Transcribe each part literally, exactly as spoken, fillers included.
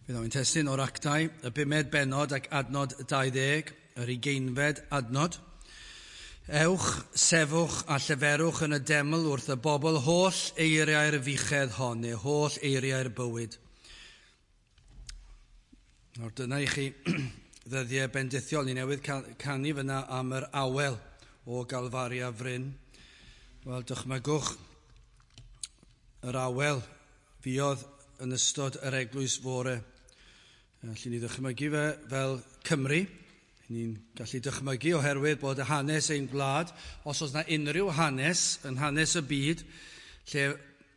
Bydd o'n testun o'r Actau, y bumed bennod ac adnod dau ddeg, yr ugeinfed adnod. Ewch, sefwch a lleferwch yn y deml wrth y bobl holl eiriau'r fuchedd hon, neu holl eiriau'r bywyd. Nawr dyna i chi ddyddiau bendithiol. Ni newydd canu fyna am yr awel o Galfaria Fryn. Wel, dychmygwch yr awel fuodd yn ystod yr eglwys fore. Allen ni ddychmygu fe fel Cymru. Ni'n gallu dychmygu oherwydd bod y hanes ein gwlad, os oes yna unrhyw hanes yn hanes y byd, lle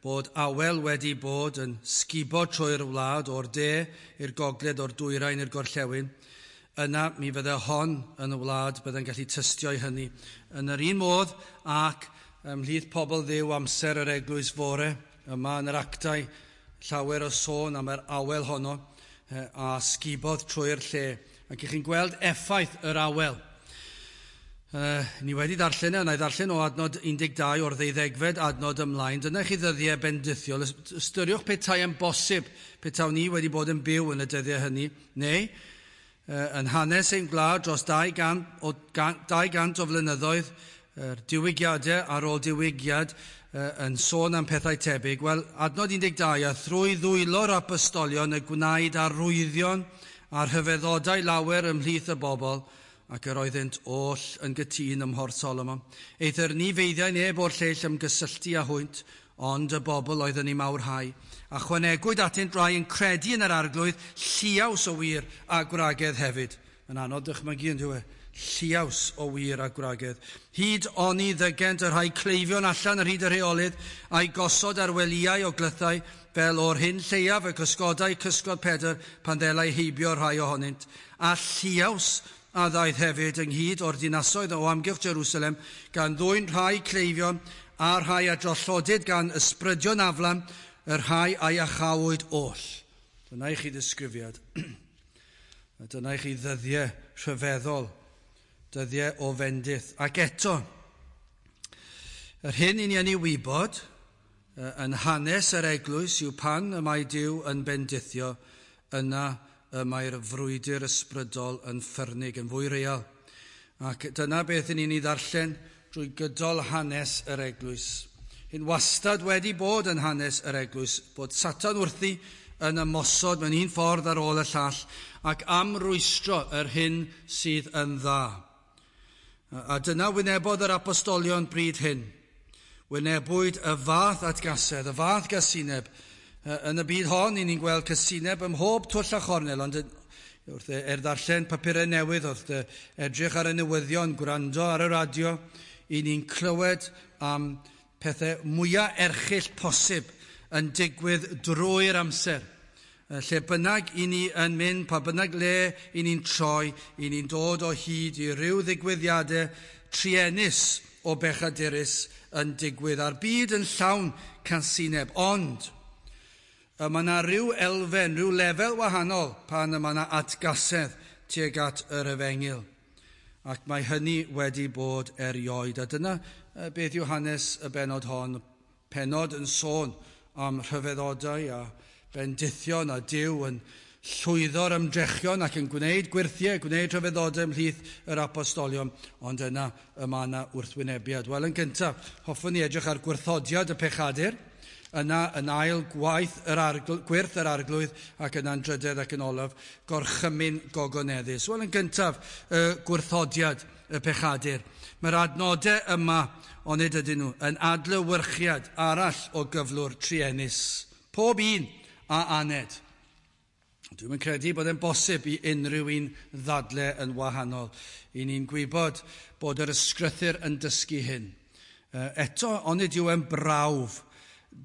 bod awel wedi bod yn sgubo trwy'r wlad o'r de i'r gogledd, o'r dwyrain i'r gorllewin, yna mi fydde hon yn y wlad bydde'n gallu tystio i hynny. Yn yr un modd ac ymhlith pobl Dduw amser yr eglwys fore, yma yn yr Actau, llawer o sôn am yr awel honno, a sgubodd trwy'r lle. Ac i chi'n gweld effaith yr awel. Uh, ni wedi darllen e, na i ddarllen o adnod un deg dau o'r ddeuddegfed adnod ymlaen. Dyna chi ddyddiau bendithiol. Ystyriwch petai yn bosib, petawn ni wedi bod yn byw yn y dyddiau hynny, neu uh, yn hanes ein gwlad dros dau gant o, dau gant o flynyddoedd, yr diwygiadau ar ôl diwygiad yn sôn am pethau tebyg. Wel, adnod un deg dau, a thrwy ddwylo'r apostolion y gwnaed arwyddion a rhyfeddodau lawer ymhlith y bobl, ac yr oeddynt oll yn gytûn ym Mhorth Solomon. Eithr ni feiddiai neb o'r lleill ymgysylltu â hwynt, ond y bobl oedd yn ei mawrhau. A chwanegwyd atynt rai yn credu yn yr Arglwydd, lliaws o wir a gwragedd hefyd. Yn anodd dychmygu yn dyw e? Lliaws o wir a gwragedd. Hyd oni ddygent y rhai cleifion allan ar hyd y rheolydd, a'i gosod ar welyau o glythau, fel o'r hyn lleiaf y cysgodau cysgod Pedr pan ddelai heibio rhai ohonynt. A lliaws a ddaeth hefyd ynghyd o'r dinasoedd o amgylch Jerusalem, gan ddwyn rhai cleifion a rhai a drollodid gan ysbrydion aflan, y rhai a'i achawyd oll. Dyna i chi ddisgrifiad. Dyna i chi ddyddiau rhyfeddol, dyddiau o fendith. Ac eto, yr hyn i ni yn ei wybod yn hanes yr eglwys yw pan y mae Duw yn bendithio, yna y mae'r frwydr ysbrydol yn ffyrnig, yn fwy real. Ac dyna beth i ni'n ei ddarllen drwy gydol hanes yr eglwys. Hyn wastad wedi bod yn hanes yr eglwys, bod Satan wrthi yn ymosod mewn un ffordd ar ôl y llall ac am rwystro yr hyn sydd yn dda. A dyna wynebodd yr apostolion bryd hyn. Wynebwyd y fath atgasedd, y fath gasineb. Yn y byd hon, i ni'n gweld casineb ym mhob twll a chornel, ond wrth er ddarllen papurau newydd, wrth edrych ar y newyddion, gwrando ar y radio, i ni'n clywed am pethau mwyaf erchyll posib yn digwydd drwy'r amser. Lle bynnag i ni yn mynd, pa bynnag le i ni'n troi, i ni'n dod o hyd i ryw ddigwyddiadau truenus o bechadurus yn digwydd, a'r byd yn llawn casineb. Ond mae yna ryw elfen, rhyw lefel wahanol pan mae yna atgasedd tuag at yr efengyl. Ac mae hynny wedi bod erioed. A dyna beth yw hanes y bennod hon. Pennod yn sôn am rhyfeddodau a bendithion a Duw yn llwyddo'r ymdrechion ac yn gwneud gwyrthiau, gwneud rhyfeddodau ymhlith yr apostolion, ond yna y mae yna wrthwynebiad. Wel, yn gyntaf, hoffwn ni edrych ar gwrthodiad y pechadur, yna yn ail gwaith yr argl- gwyrth yr Arglwydd, ac yna'n drydedd ac yn olaf, gorchymyn gogoneddus. Wel, yn gyntaf, y gwrthodiad y pechadur. Mae'r adnodau yma, onid ydyn nhw, yn adlewyrchiad arall o gyflwr truenus. Pob un a aned. Dwi'm yn credu bod e'n bosib i unrhyw un ddadle yn wahanol. I ni'n gwybod bod yr ysgrythur yn dysgu hyn. Eto, onid yw e'n brawf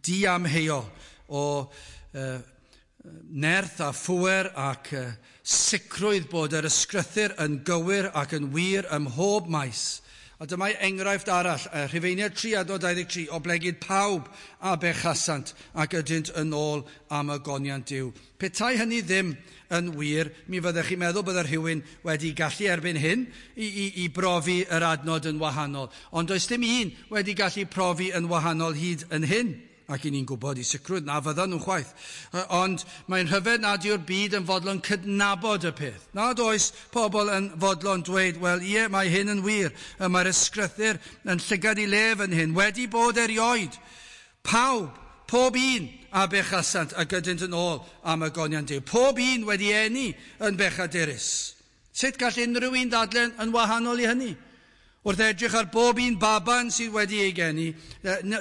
diamheuol o uh, nerth a phŵer ac uh, sicrwydd bod yr ysgrythur yn gywir ac yn wir ym mhob maes. A dyma enghraifft arall, Rhufeiniaid tri adnod dau ddeg tri, oblegid pawb a bechasant ac ydynt yn ôl am y goniant Duw. Petai hynny ddim yn wir, mi fyddech chi'n meddwl bydde rhywun wedi gallu erbyn hyn i, i, i brofi yr adnod yn wahanol. Ond does dim un wedi gallu profi yn wahanol hyd yn hyn, Ac i ni'n gwybod i sicrwydd na fyddan nhw'n chwaith. Ond mae'n rhyfedd nad yw'r byd yn fodlon cydnabod y peth. Nad oes pobl yn fodlon dweud, wel ie, mae hyn yn wir. Mae'r ysgrythur yn llygad i lef yn hyn, wedi bod erioed. Pawb, pob un a bechasant a gydynt yn ôl am y goniant Duw. Pob un wedi eni yn bechadurus. Sut gall unrhyw un ddadlen yn wahanol i hynny? Wrth edrych ar bob un baban sydd wedi ei geni,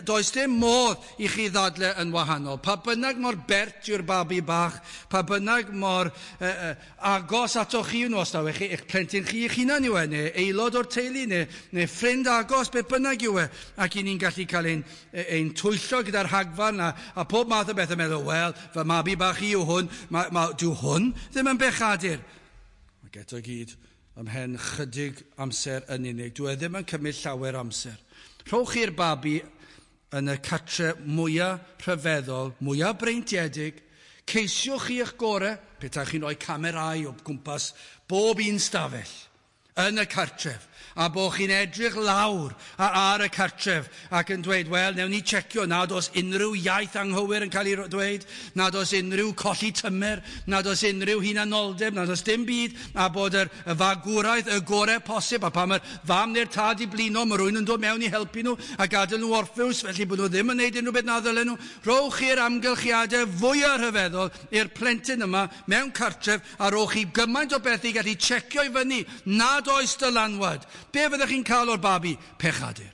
does dim modd i chi ddadle yn wahanol. Pa bynnag mor bert yw'r babi bach, pa bynnag mor eh, eh, agos atoch chi nhw, os daw chi, eich plentyn chi eich hunan yw e, neu aelod o'r teulu, neu, neu ffrind agos, beth bynnag yw e. Ac i ni'n gallu cael ein, ein twyllo gyda'r rhagfarn a, a pob math o beth yn meddwl, wel, fy mabi bach i yw hwn, ma, ma, dyw hwn ddim yn bechadur. Ac eto gyd, ymhen chydig amser yn unig. Dwi e ddim yn cymryd llawer amser. Rhowch chi'r babi yn y catre mwyaf rhyfeddol, mwyaf breintiedig. Ceisiwch chi eich gorau, petai chi'n rhoi camerau o gwmpas bob un stafell yn y cartref, a bod chi'n edrych lawr ar y cartref ac yn dweud, wel, newn ni checio nad oes unrhyw iaith anghywir yn cael ei dweud, nad oes unrhyw colli tymer, nad oes unrhyw hunanoldeb, nad oes dim byd, a bod yr, y fagwraeth y gorau posib, a pan mae'r fam neu'r tad i blino, mae rhywun yn dod mewn i helpu nhw a gadael nhw orffwys, felly bod nhw ddim yn gwneud unrhyw beth na ddylen nhw. Rhowch chi'r amgylchiadau fwyaf rhyfeddol i'r plentyn yma mewn cartref, a rhowch chi gymaint o beth i gallu checio i fyny nad oes dylanwad. Be fyddech chi'n cael o'r babi? Pechadur.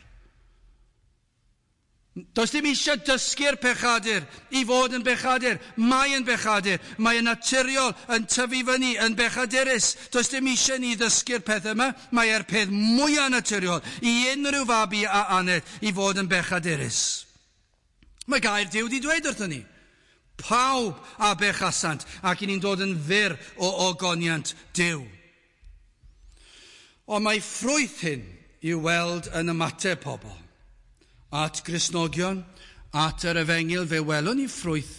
Does dim eisiau dysgu'r pechadur i fod yn bechadur. Mae yn bechadur. Mae yn naturiol yn tyfu fyny yn bechadurus. Does dim eisiau ni ddysgu'r peth yma. Mae e'r peth mwyaf naturiol i unrhyw fabi a aned i fod yn bechadurus. Mae gair Duw wedi dweud wrthon ni. Pawb a bechasant ac i ni'n dod yn fyr o ogoniant Duw. Ond mae ffrwyth hyn i'w weld yn ymateb pobl. At Gristnogion, at yr efengyl, fe welwn ni ffrwyth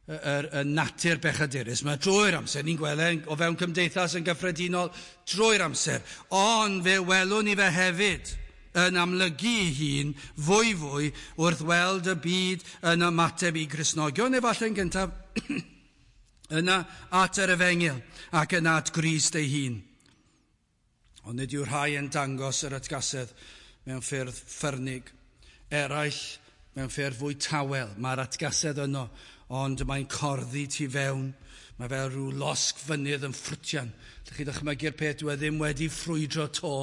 y, y, y natur bechadurus. Mae drwy'r amser, ni'n gweld o fewn cymdeithas yn gyffredinol drwy'r amser. Ond fe welwn ni fe hefyd yn amlygu ei hun fwy fwy wrth weld y byd yn ymateb i Gristnogion, efallai yn gyntaf, yna at yr efengyl ac yna at Grist ei hun. Ond nid yw rhai yn dangos yr atgasedd mewn ffyrdd ffyrnig. Eraill mewn ffyrdd fwy tawel. Mae'r atgasedd yno, ond mae'n corddi tu fewn. Mae fel rhyw losg fynydd yn ffrwtian. Ydych chi dychmygu'r peth, dwi ddim wedi ffrwydro to,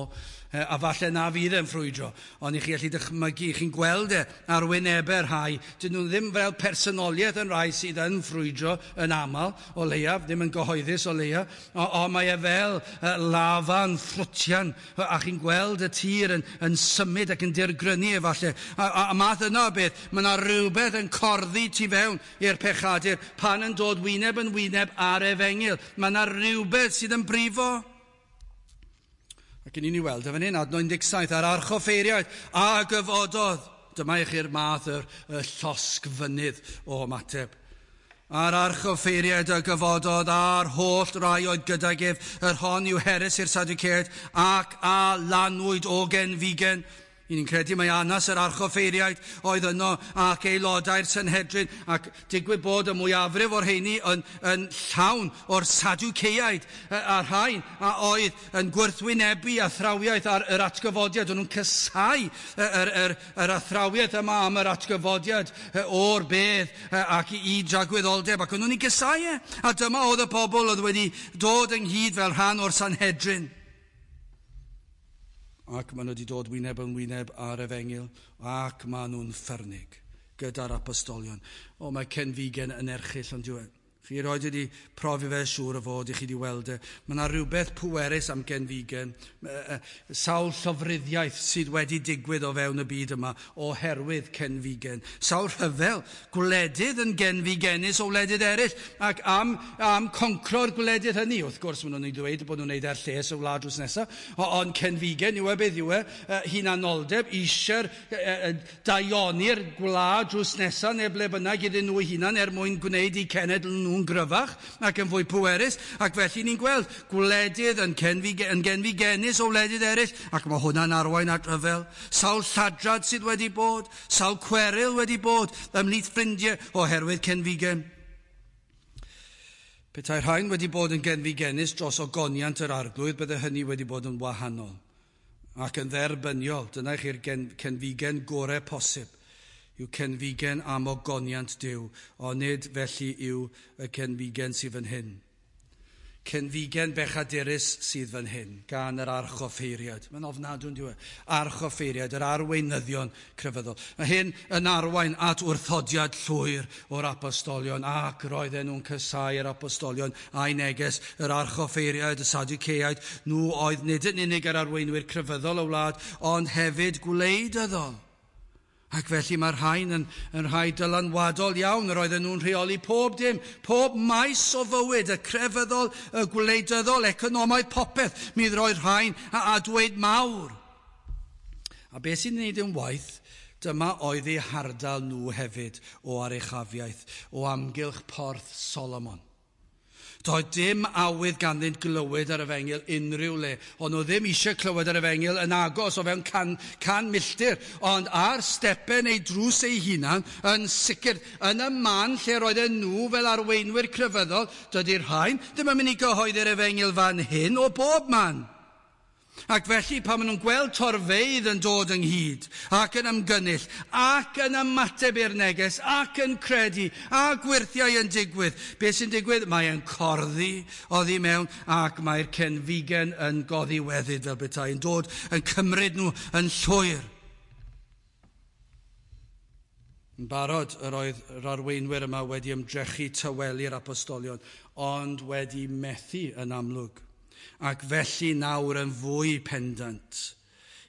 a falle na fydd e'n ffrwydro, ond i chi allu dychmygu, chi'n gweld e ar wynebau'r rhai. Dyn nhw ddim fel personoliaeth yn rhai sydd yn ffrwydro yn aml, o leiaf, ddim yn gyhoeddus o leiaf, ond mae e fel lafa'n ffrwtian, a chi'n gweld y tir yn, yn symud ac yn dirgrynu efallai. A, a, a math yna o beth, mae yna rhywbeth yn corddi tu fewn i'r pechadur pan yn dod wyneb yn wyneb ar efengyl. Mae yna rhywbeth sydd yn brifo. Ac yn i ni weld, efo hyn, adnod un deg saith, a'r archoffeiriaid a gyfododd. Dyma i chi'r math yr, y llosg fynydd o ymateb. A'r archoffeiriaid a gyfododd a'r holl rai oedd gydag ef, yr hon yw heres i'r Sadwceaid, ac a lanwyd o genfigen. I ni'n credu mai Anas yr archoffeiriaid oedd yno ac aelodau'r Sanhedrin, ac digwydd bod y mwyafrif o'r rheini yn, yn llawn o'r Sadwceaid a'r rhain a oedd yn gwrthwynebu athrawiaeth ar yr atgyfodiad. O'n nhw'n casáu yr, yr, yr athrawiaeth yma am yr atgyfodiad o'r bedd ac i dragwyddoldeb, ac o'n nhw'n ei gasáu e. A dyma oedd y pobl oedd wedi dod ynghyd fel rhan o'r Sanhedrin. Ac maen nhw wedi dod wyneb yn wyneb ar efengyl, ac maen nhw'n ffyrnig gyda'r apostolion. O, mae cenfigen yn erchyll, ond yw e. Chi roed wedi profi fe siŵr o fod i chi wedi weld e. Mae yna rhywbeth pwerus am genfigen, sawl llofruddiaeth sydd wedi digwydd o fewn y byd yma oherwydd cenfigen. Sawl rhyfel, gwledydd yn genfigenus o wledydd eraill, ac am, am concro'r gwledydd hynny. Wrth gwrs, maen nhw'n ei ddweud bod nhw'n neud er lles y wlad drws nesaf, ond cenfigen yw e beth yw e, hunanoldeb, eisiau'r daioni'r gwlad drws nesaf neu ble bynnag iddyn nhw hunan er mwyn gwneud eu cenedl nhw nhw'n gryfach ac yn fwy pwerus, ac felly ni'n gweld gwledydd yn, cenfig, yn genfigennus o wledydd eraill, ac mae hwnna'n arwain at rhyfel. Sawl lladrad sydd wedi bod, sawl cweryl wedi bod ymhlith ffrindiau oherwydd cenfigen. Petai rhain wedi bod yn genfigennus dros ogoniant yr arglwydd, bydde hynny wedi bod yn wahanol ac yn dderbyniol. Dyna chi'r cenfigen gorau posib, yw cenfigen am ogoniant Duw, ond nid felly yw y cenfigen sydd fan hyn. Cenfigen bechadurus sydd fan hyn, gan yr archoffeiriad. Mae'n ofnadwy, yn dyw e? Archoffeiriad, yr arweinyddion crefyddol. Mae hyn yn arwain at wrthodiad llwyr o'r apostolion, ac roedden nhw'n casáu yr apostolion a'i neges, yr archoffeiriad, y Sadwceaid. Nhw oedd nid yn unig yr arweinwyr crefyddol y wlad, ond hefyd gwleidyddol. Ac felly mae'r rhain yn, yn rhai dylanwadol iawn. Yr oedden nhw'n rheoli pob dim, pob maes o fywyd, y crefyddol, y gwleidyddol, economaidd, popeth. Mi roedd rhain a, a dweud mawr. A beth sy'n wneud yn waith, dyma oedd eu hardal nhw hefyd o aruchafiaeth, o amgylch porth Solomon. Doedd dim awydd ganddynt glywed ar efengyl unrhyw le. Ond nhw ddim eisiau clywed ar efengyl yn agos o fewn can, can milltir. Ond ar stepen eu drws eu hunan, yn sicr, yn y man lle roedden nhw fel arweinwyr crefyddol, dydy'r rhain ddim yn mynd i gyhoeddi'r efengyl fan hyn o bob man. Ac felly pan maen nhw'n gweld torfeydd yn dod ynghyd ac yn ymgynnull ac yn ymateb i'r neges ac yn credu a gwyrthiau yn digwydd, beth sy'n digwydd? Mae e'n corddi oddi mewn ac mae'r cenfigen yn goddiweddyd fel petai, yn dod yn cymryd nhw yn llwyr. Yn barod yr oedd yr arweinwyr yma wedi ymdrechu tawelu'r apostolion, ond wedi methu yn amlwg. Ac felly nawr yn fwy pendant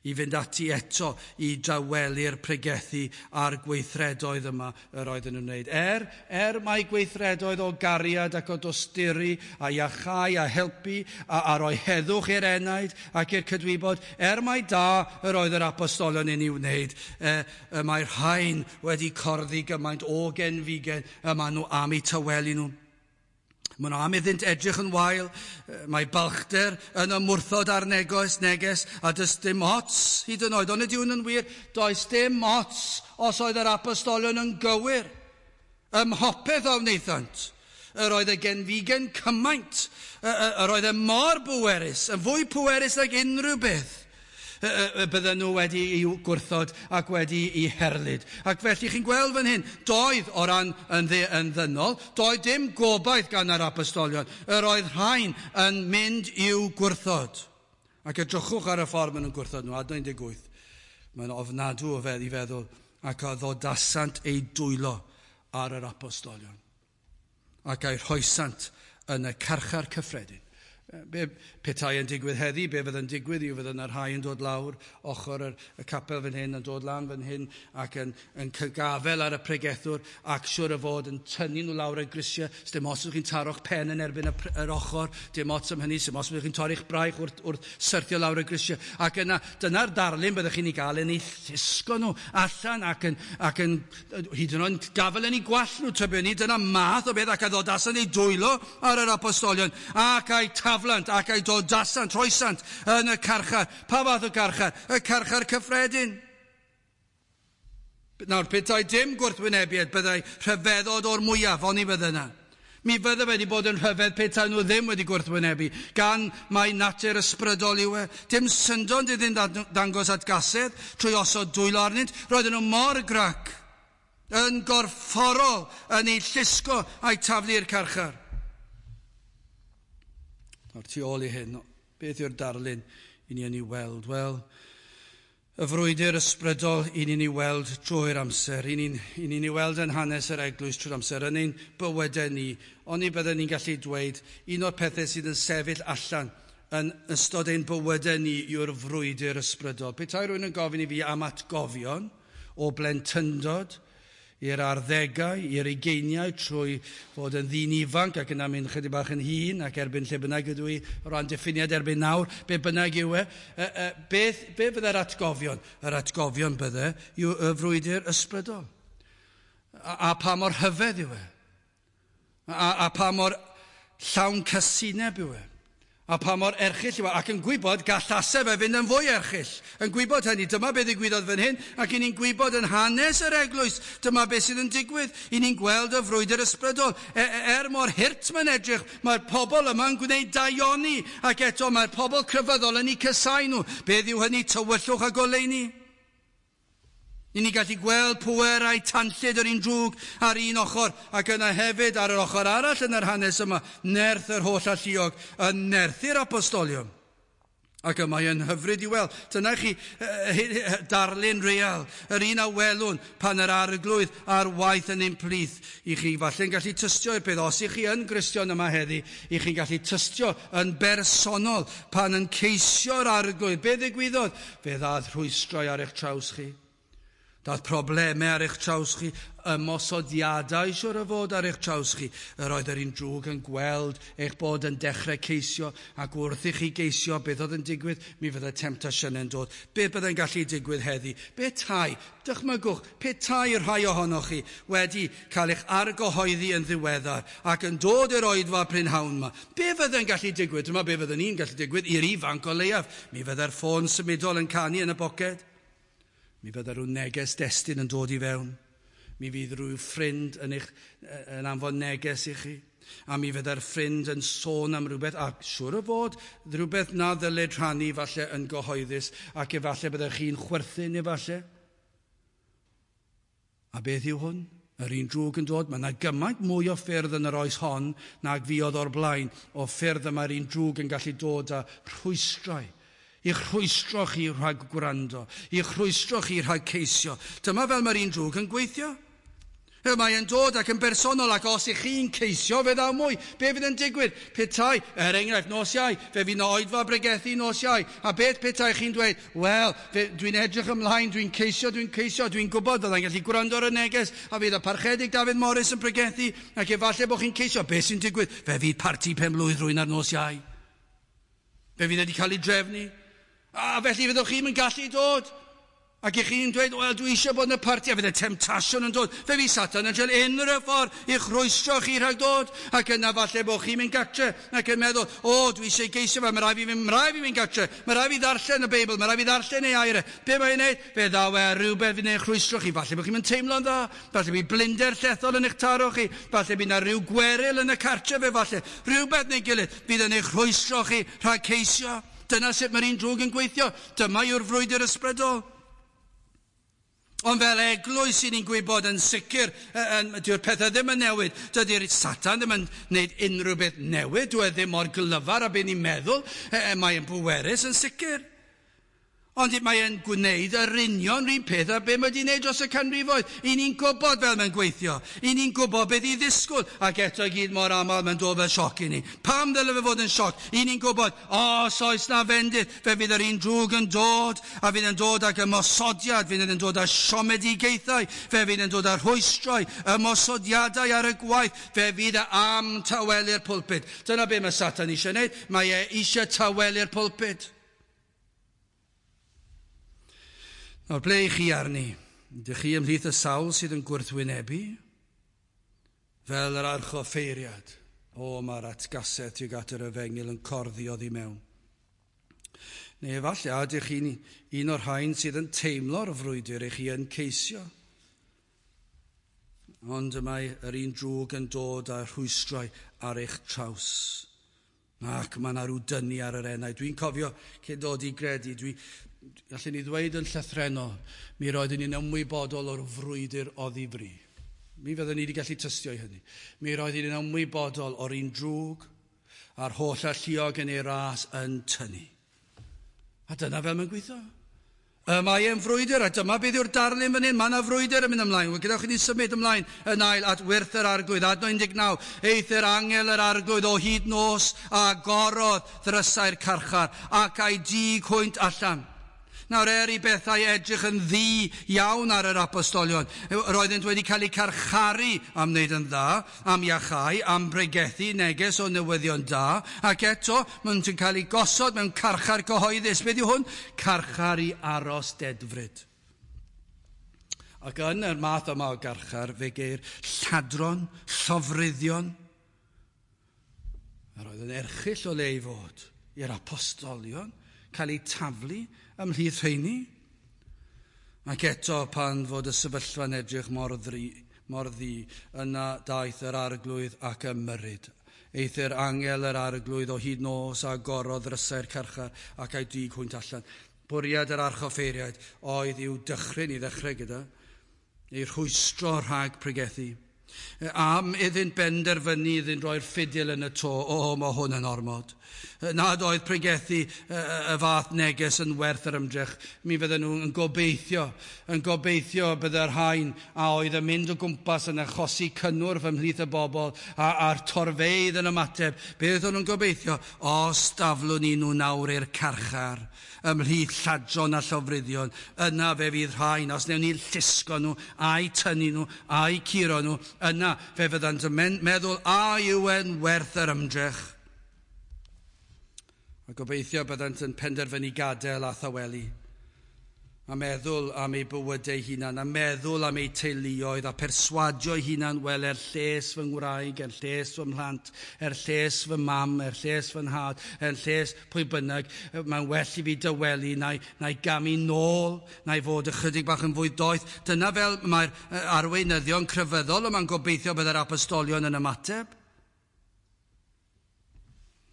i fynd ati eto i dawelu'r pregethu a'r gweithredoedd yma yr oedden nhw'n wneud. Er, er mai gweithredoedd o gariad ac o dosturi a iachau a helpu a, a roi heddwch i'r enaid ac i'r cydwybod, er mai da yr oedd yr apostolion yn ei wneud, e, y mae'r rhain wedi corddi gymaint o genfigen y maen nhw am eu tawelu nhw. Maen nhw am iddynt edrych yn wael, mae balchder yn ymwrthod ar neges, neges, a does dim ots hyd yn oed. Ond ydy hwn yn wir, does dim ots os oedd yr apostolion yn gywir. Ym mhopeth a wnaethant. Yr oedd y genfigen cymaint, yr oedd e mor bwerus, yn fwy pwerus nag unrhyw beth. Y bydden nhw wedi i'w gwrthod ac wedi i herlid. Ac felly chi'n gweld fan hyn, doedd o ran yn, dde, yn ddynol, doedd dim gobaith gan yr apostolion. Yr oedd rhain yn mynd i'w gwrthod. Ac edrychwch ar y ffordd maen nhw'n gwrthod nhw, adnod un deg wyth. Mae'n ofnadw o fedd i feddwl, ac a ddodasant eu dwylo ar yr apostolion. Ac a'i rhoesant yn y carchar cyffredin. Be petai yn digwydd heddi, be fydd yn digwydd yw fydd yna rhai yn dod lawr ochr yr, y capel fan hyn, yn dod lan fan hyn ac yn, yn cygafel ar y pregethwr ac siwr o fod yn tynnu nhw lawr y grisiau. Dim ots ydych chi'n taro'ch pen yn erbyn y, yr ochr, dim ots am hynny, dim ots ydych chi'n torri'ch braich wrth, wrth syrthio lawr y grisiau. Ac yna, dyna'r darlun byddwch chi'n ei gael yn ei llusgo nhw allan ac yn, ac yn hyd yn oed gafel yn ei gwallt nhw, tybiwn ni. Dyna math o beth ac a ddodasan ei dwylo ar yr apostolion ac a'i taflant ac a'i dodasant, rhoesant yn y carchar. Pa fath o carchar? Y carchar cyffredin. Nawr, petai dim gwrthwynebiad, byddai rhyfeddod o'r mwyaf, oni fydde yna. Mi fydde wedi bod yn rhyfedd petai nhw ddim wedi gwrthwynebu, gan mai natur ysbrydol yw e. Dim syndod iddynt dangos atgasedd trwy osod dwylo arnynt. Roedden nhw mor grac, yn gorfforol, yn eu llusgo a'i taflu i'r carchar. Nawr, tu ôl i hyn, beth yw'r darlun i ni yn ei weld? Wel, y frwydr ysbrydol i ni'n ei weld drwy'r amser, i ni'n ni ei weld yn hanes yr eglwys trwy'r amser, yn ein bywydau ni, ond ni bydden ni'n gallu dweud un o'r pethau sydd yn sefyll allan yn ystod ein bywydau ni yw'r frwydr ysbrydol. Petai rhywun yn gofyn i fi am atgofion o blentyndod, i'r arddegau, i'r ugeiniau, trwy fod yn ddyn ifanc ac yna mynd chydig bach yn hŷn ac erbyn lle bynnag ydw i o ran diffiniad erbyn nawr, be bynnag yw e, e, e beth, be fydde'r atgofion? Yr atgofion bydde yw y frwydr ysbrydol. A, a pa mor rhyfedd yw e? A, a pa mor llawn casineb yw e. A pa mor erchyll yw e. Ac yn gwybod gallase fe fynd yn fwy erchyll. Yn gwybod hynny, dyma beth ddigwyddodd fan hyn, ac i ni'n gwybod yn hanes yr eglwys, dyma beth sydd yn digwydd. I ni'n gweld y frwydr ysbrydol. E, er mor hurt mae'n edrych, mae'r pobl yma'n gwneud daioni, ac eto mae'r pobl crefyddol yn eu casáu nhw. Beth yw hynny? Tywyllwch a goleuni. I ni gallu gweld pwerau tanllyd yr un drwg ar un ochr, ac yna hefyd ar yr ochr arall yn yr hanes yma, nerth yr holl alluog yn nerthu'r apostolion. Ac y mae yn hyfryd i weld. Dyna chi darlun real, yr un a welwn pan yr arglwydd ar waith yn ein plith. I chi falle'n gallu tystio i'r peth, os i chi yn Gristion yma heddi, i chi'n gallu tystio yn bersonol pan yn ceisio'r arglwydd. Be ddigwyddodd? Fe ddaeth rhwystrau ar eich traws chi. Daeth problemau ar eich traws chi, ymosodiadau siwr o fod ar eich traws chi. Yr oedd yr un drwg yn gweld eich bod yn dechrau ceisio, ac wrth i chi geisio beth oedd yn digwydd, mi fydde temtasiynau'n dod. Beth byddai'n gallu digwydd heddi? Be tai, dychmygwch, pe tai rhai ohonoch chi wedi cael eich argyhoeddi yn ddiweddar ac yn dod i'r oedfa prynhawn yma. Be fyddai'n gallu digwydd? Dyma be fydden ni'n gallu digwydd i'r ifanc o leiaf. Mi fydde'r ffôn symudol yn canu yn y boced. Mi fydda rhyw neges destun yn dod i fewn. Mi fydd rhyw ffrind yn, eich, yn anfon neges i chi. A mi fydda'r ffrind yn sôn am rhywbeth, a siŵr o fod rhywbeth na ddylid rhannu falle yn gyhoeddus, ac efallai byddech chi'n chwerthin efallai. A beth yw hwn? Yr un drwg yn dod. Mae yna gymaint mwy o ffyrdd yn yr oes hon nag fuodd o'r blaen, o ffyrdd y mae'r un drwg yn gallu dod â rhwystrau. I'ch rhwystro chi rhag gwrando, i'ch rhwystro chi rhag ceisio. Dyma fel mae'r un drwg yn gweithio. Mae e'n dod ac yn bersonol, ac os ych chi'n ceisio, fe ddaw mwy. Be fydd yn digwydd? Petai, er enghraifft, nos Iau, fe fydd 'na oedfa bregethu nos Iau. A beth petai chi'n dweud? Wel, dwi'n edrych ymlaen, dwi'n ceisio, dwi'n ceisio, dwi'n gwybod fyddai'n gallu gwrando ar y neges, a fydd y Parchedig Dafydd Morris yn pregethu, ac efallai bod chi'n ceisio. Be sy'n digwydd? Fe fydd parti pen-blwydd rhywun ar nos Iau. Fe fydd wedi cael ei drefnu. A felly fyddwch chi'n mynd gallu dod. Ac i chi'n dweud, wel, dwi eisiau bod yn y parti, a fydd y temtasiwn yn dod. Fe fydd Satan yn cael unrhyw ffordd i'ch rhwystro chi rhag dod. Ac yna falle bod chi'n mynd gatre ac yn meddwl, o, dwi eisiau geisio fe, mae rhaid fi fynd, mae rhaid fi fynd gatre, mae rhaid fi ddarllen y Beibl, mae rhaid fi ddarllen ei air. Be mae'n neud? Fe ddaw e rhywbeth fydd eich rhwystro chi. Falle bod chi'n mynd teimlo'n dda, falle bydd blinder llethol yn eich taro chi, falle bydd yna rhyw gweryl yn y cartre fe, falle rhywbeth neu gilydd fydd yn eich rhwystro chi rhag ceisio. Dyna sut mae'r un drwg yn gweithio. Dyma yw'r frwydr ysbrydol. Ond fel eglwys i ni'n gwybod yn sicr, dyw'r pethau ddim yn newid. Dydy'r Satan ddim yn gwneud unrhyw beth newid. Dyw e ddim mor glyfar a be ni'n meddwl. Mae'n bwerus yn sicr. Ond mae e'n gwneud yr union rhywun peth a be mae wedi gwneud dros y canrifoedd. I ni'n gwybod fel mae'n gweithio. I ni'n gwybod beth i ddisgwyl. Ac eto i gyd mor aml mae'n dod fel sioc i ni. Pam ddyle fe fod yn sioc? I ni'n gwybod, os oes na fendith, fe fydd yr un drwg yn dod, a fydd yn dod ag ymosodiad, fydd yn dod â siomedigaethau, fe fydd yn dod â rhwystrau, ymosodiadau ar y gwaith, fe fydd e am tawelu'r pulpit. Dyna be mae Satan eisiau gwneud. Mae e eisiau tawelu'r pulpit. Nawr, ble i chi arni? Ydych chi ymhlith y sawl sydd yn gwrthwynebu? Fel yr archoffeiriad. O, mae'r atgasedd tuag at yr efengyl yn corddi oddi mewn. Neu efallai, ydych chi'n un o'r rhain sydd yn teimlo'r frwydr i chi yn ceisio. Ond y mae yr un drwg yn dod â rhwystrau ar eich traws. Ac mae yna rhyw dynnu ar yr enau. Dwi'n cofio cyn dod i gredu, dwi... Gallwn ni ddweud yn llythrennol, mi roeddwn ni'n ymwybodol o'r frwydr oddi fri. Mi fyddwn ni wedi gallu tystio i hynny. Mi roeddwn ni'n ymwybodol o'r un drwg a'r holl alluog yn ei ras yn tynnu. A dyna fel mae'n gweithio. Y mae e'n frwydr, a dyma beth yw'r darlun fan hyn. Mae yna frwydr yn mynd ymlaen. Gadewch i ni symud ymlaen yn ail at wyrth yr arglwydd. Adnod un deg naw. Eith yr angel yr arglwydd o hyd nos a gorodd ddrysau'r carchar ac a'i dig hwynt allan. Nawr, er i bethau edrych yn ddu iawn ar yr apostolion, roeddent wedi cael eu carcharu am wneud yn dda, am iachau, am bregethu neges o newyddion da, ac eto maen nhw'n cael eu gosod mewn carchar cyhoeddus. Beth yw hwn? Carchar i aros dedfryd. Ac yn yr math yma o garchar, fe geir lladron, llofruddion, Mi oedd yn erchyll o le i fod i'r apostolion cael eu taflu ymhlith rheini. Ac eto pan fod y sefyllfa'n edrych mor, ddri, mor ddu, yna daeth yr arglwydd ac ymyrryd. Eithr angel yr arglwydd o hyd nos a agorodd ddrysau'r carchar ac a'i dug hwynt allan. Bwriad yr archoffeiriaid oedd i'w dychryn i ddechrau gyda, ei rhwystro rhag pregethu. Am iddynt benderfynu iddynt roi'r ffidil yn y to, o, mae hwn yn ormod. Nad oedd pregethu y fath neges yn werth yr ymdrech, mi fydden nhw yn gobeithio, yn gobeithio bydde'r rhain a oedd yn mynd o gwmpas yn achosi cynnwrf ymhlith y bobl a, a'r torfeydd yn ymateb. Beth o'n nhw'n gobeithio? Os daflwn ni nhw nawr i'r carchar, ymhlith lladron a llofruddion, yna fe fydd rhain, os newn ni llusgo nhw, a'u tynnu nhw, a'u curo nhw, yna fe fyddant yn meddwl a yw e'n werth yr ymdrech. A gobeithio byddant yn penderfynu gadael a thawelu, a meddwl am eu bywydau hunan, a meddwl am eu teuluoedd, a perswadio eu hunan, wel, er lles fy ngwraig, er lles fy mhlant, er lles fy mam, er lles fy nhad, er lles pwy bynnag, mae'n well i fi dawelu, na i, na i gamu nôl, na i fod ychydig bach yn fwy doeth. Dyna fel mae'r arweinyddion crefyddol yma'n gobeithio byddai'r apostolion yn ymateb.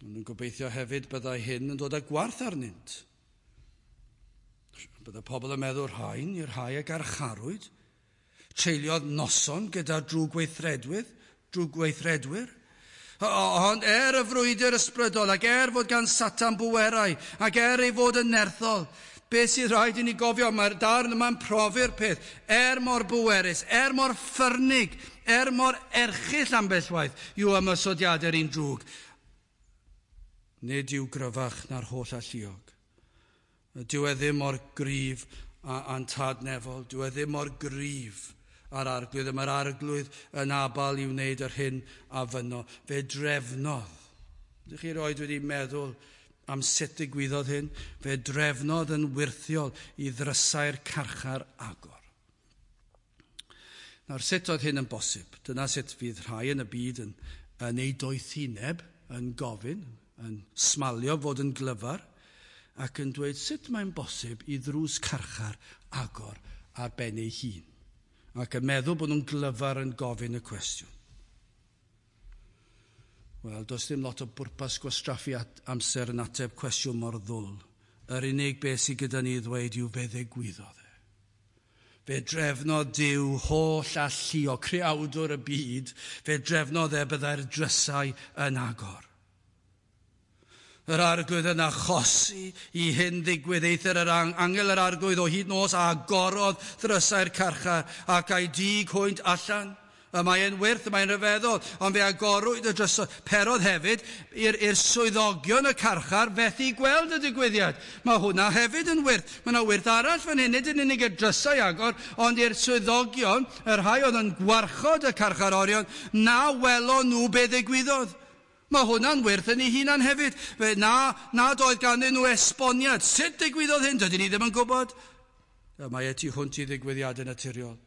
Maen nhw'n gobeithio hefyd byddai hyn yn dod â gwarth arnynt. Byddai pobl yn meddwl rhain i'r rhai a garcharwyd, treuliodd noson gyda drwgweithredwyr, drwgweithredwyr. Ond er y frwydr ysbrydol, ac er fod gan Satan bwerau, ac er ei fod yn nerthol, beth sydd rhaid i ni gofio, mae'r darn yma'n profi'r peth, er mor bwerus, er mor ffyrnig, er mor erchyll ambell waith yw ymosodiadau'r un drwg. Nid yw gryfach na'r holl alluog. Dyw e ddim mor gryf a'n tad nefol, dyw e ddim mor gryf a'r arglwydd. Mae'r arglwydd yn abal i wneud yr hyn a fynno. Fe drefnodd. Ydych chi roed wedi meddwl am sut ddigwyddodd hyn? Fe drefnodd yn wyrthiol i ddrysau'r carchar agor. Nawr, sut oedd hyn yn bosib? Dyna sut fydd rhai yn y byd yn, yn ei doethineb, yn gofyn, yn smalio fod yn glyfar, ac yn dweud sut mae'n bosib i ddrws carchar agor ar ben ei hun. Ac yn meddwl bod nhw'n glyfar yn gofyn y cwestiwn. Wel, does dim lot o bwrpas gwastraffu amser yn ateb cwestiwn mor ddwl. Yr unig beth sydd gyda ni ddweud yw fe ddigwyddodd e. Fe drefnodd Duw holl alluog, creawdwr y byd, fe drefnodd e byddai'r drysau yn agor. Yr arglwydd yn achosi i hyn ddigwydd, eithr yr angel yr arglwydd o hyd nos a agorodd ddrysau'r carchar ac a'i dug hwynt allan. Y mae'n wyrth, y mae'n rhyfeddol, ond fe agorwyd y drysau. Perodd hefyd i'r, i'r swyddogion y carchar fethu gweld y digwyddiad. Mae hwnna hefyd yn wyrth. Mae yna wyrth arall fan hyn, nid yn unig y drysau agor, ond i'r swyddogion, y rhai oedd yn gwarchod y carcharorion, na welon nhw be ddigwyddodd. Mae hwnna'n wyrth yn ei hunan hefyd. Fe na, nad oedd ganddyn nhw esboniad. Sut digwyddodd hyn? Dydyn ni ddim yn gwybod. Mae e tu hwnt i ddigwyddiadau naturiol.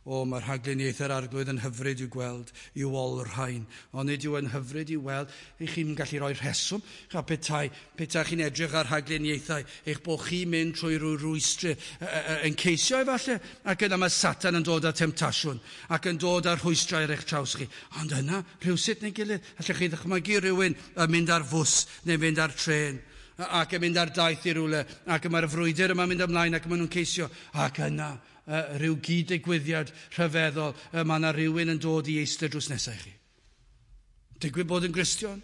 O, mae'r rhagluniaeth yr arglwydd yn hyfryd i'w gweld, i'w olrhain. Ond nid yw yn hyfryd i'w weld, eich chi'n gallu rhoi rheswm. A petai, petai chi'n edrych ar rhagluniaethau, eich bod chi'n mynd trwy rhyw rwystr yn ceisio efallai, ac yna mae Satan yn dod â temtasiwn, ac yn dod â rhwystrau ar eich traws chi. Ond yna, rhywsut neu gilydd, allwch chi ddychmygu rhywun yn mynd ar fws neu mynd ar trên, ac yn mynd ar daith i rywle, ac mae'r frwydr yma'n mynd ymlaen, ac maen nhw'n ceisio, ac yna, Uh, rhyw gyd-digwyddiad rhyfeddol, uh, mae yna rhywun yn dod i eistedd drws nesaf i chi. Digwydd bod yn Gristion,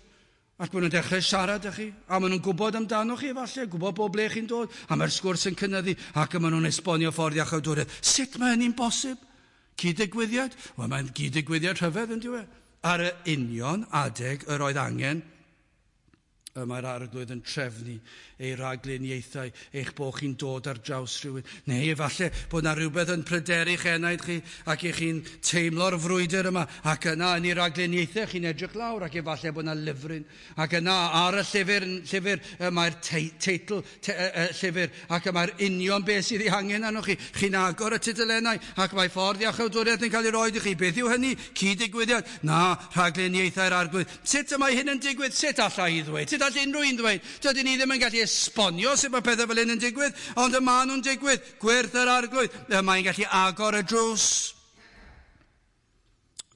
ac maen nhw'n dechrau siarad â chi, a maen nhw'n gwybod amdano chi efallai, gwybod bob ble chi'n dod, a mae'r sgwrs yn cynyddu, ac maen nhw'n esbonio ffordd iachawdwriaeth. Sut mae hynny'n bosib? Cyd-digwyddiad? Wel, mae'n gyd-digwyddiad rhyfedd yn dyw e. Ar y union adeg yr oedd angen Y mae'r Arglwydd yn trefnu ei ragluniaethau, eich bod chi'n dod ar draws rhywun. Neu efallai bod yna rhywbeth yn pryderu'ch enaid chi ac eich chi'n teimlo'r frwydr yma. Ac yna yn ei ragluniaethau chi'n edrych lawr ac efallai bod yna lyfryn. Ac yna ar y llyfr, llyfr mae'r teitl te, y, llyfr ac y mae'r union beth sydd ei hangen arnoch chi. Chi'n agor y tudalennau ac mae ffordd iachawdwriaeth yn cael ei roed i chi. Beth yw hynny? Cyd-digwyddiad? Na, rhagluniaethau'r Arglwydd. Sut y mae hyn yn digwydd? Sut alla i ddweud? Sut all unrhyw un ddweud? Dydyn ni ddim yn gallu esbonio sut mae pethau fel hyn yn digwydd, ond y maen nhw'n digwydd. Gwyrth yr Arglwydd. Y mae'n gallu agor y drws.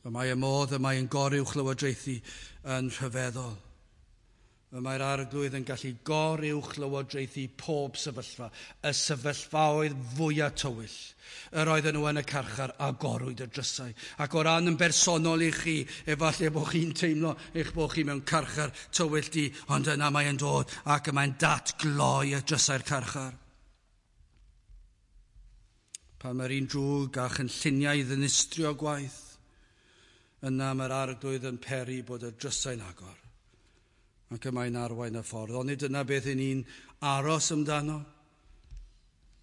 Y mae y modd y mae'n goruwchlywodraethu yn rhyfeddol. Y mae'r Arglwydd yn gallu goruwchlywodraethu pob sefyllfa, y sefyllfaoedd fwyaf tywyll. Yr oedden nhw yn y carchar a gorwyd y drysau. Ac o ran yn bersonol i chi, efallai bod chi'n teimlo eich bod chi mewn carchar tywyll di, ond yna mae'n dod ac y mae'n datgloi y drysau'r carchar. Pan mae'r un drwg a chynlluniau i ddinistrio gwaith, yna mae'r Arglwydd yn peri bod y drysau'n agor. Ac y mae'n arwain y ffordd. Ond nid dyna beth i ni'n aros amdano.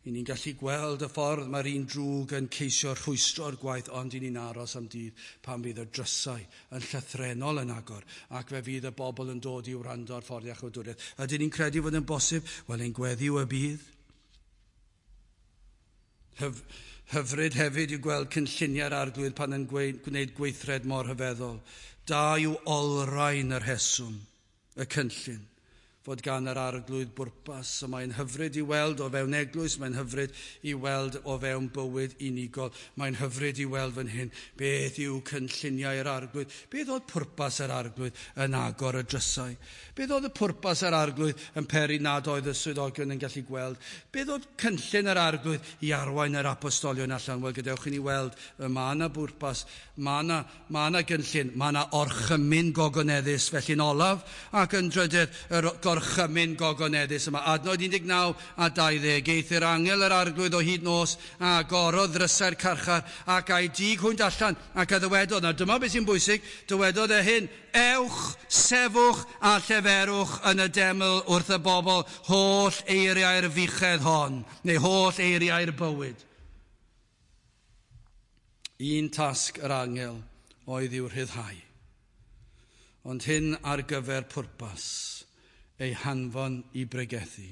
I ni'n gallu gweld y ffordd mae'r un drwg yn ceisio rhwystro'r gwaith, ond i ni'n aros am dydd pan fydd y drysau yn llythrennol yn agor ac fe fydd y bobl yn dod i wrando ar ffordd iachawdwriaeth. Ydyn ni'n credu fod yn bosib? Wel, ein gweddi yw y bydd. Hyf, hyfryd hefyd yw gweld cynlluniau'r Arglwydd pan yn gwneud gweithred mor rhyfeddol. Da yw olrhain y rheswm, y cynllun, fod gan yr Arglwydd bwrpas. So mae'n hyfryd i weld o fewn eglwys, mae'n hyfryd i weld o fewn bywyd unigol, mae'n hyfryd i weld fan hyn beth yw cynlluniau'r Arglwydd, beth oedd pwrpas yr Arglwydd yn agor y drysau, beth oedd y pwrpas yr Arglwydd yn peri nad oedd y swyddogion yn gallu gweld, beth oedd cynllun yr Arglwydd i arwain yr apostolion allan. Wel, gadewch i ni weld, mae yna bwrpas, mae yna, mae yna gynllun, mae yna orchymyn gogoneddus, felly'n olaf ac yn drydydd yr gorchymyn gogoneddus yma. Adnod un deg naw a dau ddeg. Aeth yr angel yr Arglwydd o hyd nos a agorodd ddrysau'r carchar ac a'i dig hwynt allan ac a ddywedodd. Nawr dyma beth sy'n bwysig, dywedodd e hyn: ewch, sefwch a lleferwch yn y deml wrth y bobl holl eiriau'r fuchedd hon, neu holl eiriau'r bywyd. Un tasg yr angel oedd i'w rhyddhau, ond hyn ar gyfer pwrpas, ei hanfon i bregethu,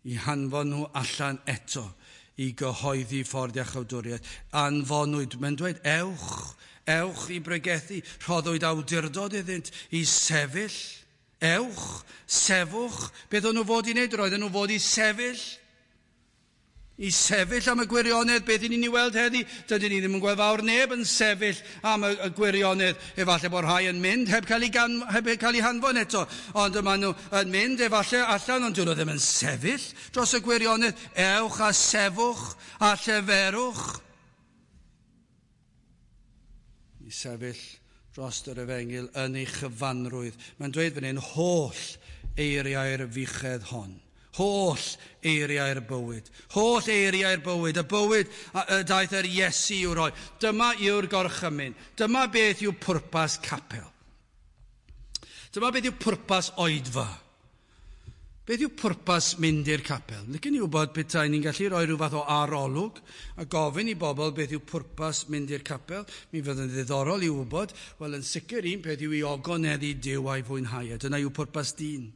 i hanfon nhw allan eto i gyhoeddi ffordd iachawdwriaeth. Anfonwyd, mae'n dweud, ewch, ewch i bregethu, rhoddwyd awdurdod iddynt i sefyll, ewch, sefwch. Beth o'n nhw fod i wneud? Roedden nhw fod i sefyll. I sefyll am y gwirionedd. Beth i ni'n ei weld heddi? Dydyn ni ddim yn gweld fawr neb yn sefyll am y, y gwirionedd. Efallai bod rhai yn mynd heb cael ei, gan, heb cael ei hanfon eto, ond maen nhw yn mynd efallai allan, ond dyn nhw ddim yn sefyll dros y gwirionedd. Ewch a sefwch a lleferwch. I sefyll dros yr efengyl yn ei chyfanrwydd. Mae'n dweud fan hyn, holl eiriau'r fuchedd hon. Holl eiriau'r bywyd. Holl eiriau'r bywyd. Y bywyd y daeth yr Iesu i'w roi. Dyma yw'r gorchymyn. Dyma beth yw pwrpas capel. Dyma beth yw pwrpas oedfa. Beth yw pwrpas mynd i'r capel? Licen i wybod petai ni'n gallu rhoi rhyw fath o arolwg a gofyn i bobl beth yw pwrpas mynd i'r capel. Mi fydd yn ddiddorol i wybod. Wel, yn sicr un peth yw i ogoneddu Duw a'i fwynhau. Dyna yw pwrpas dyn.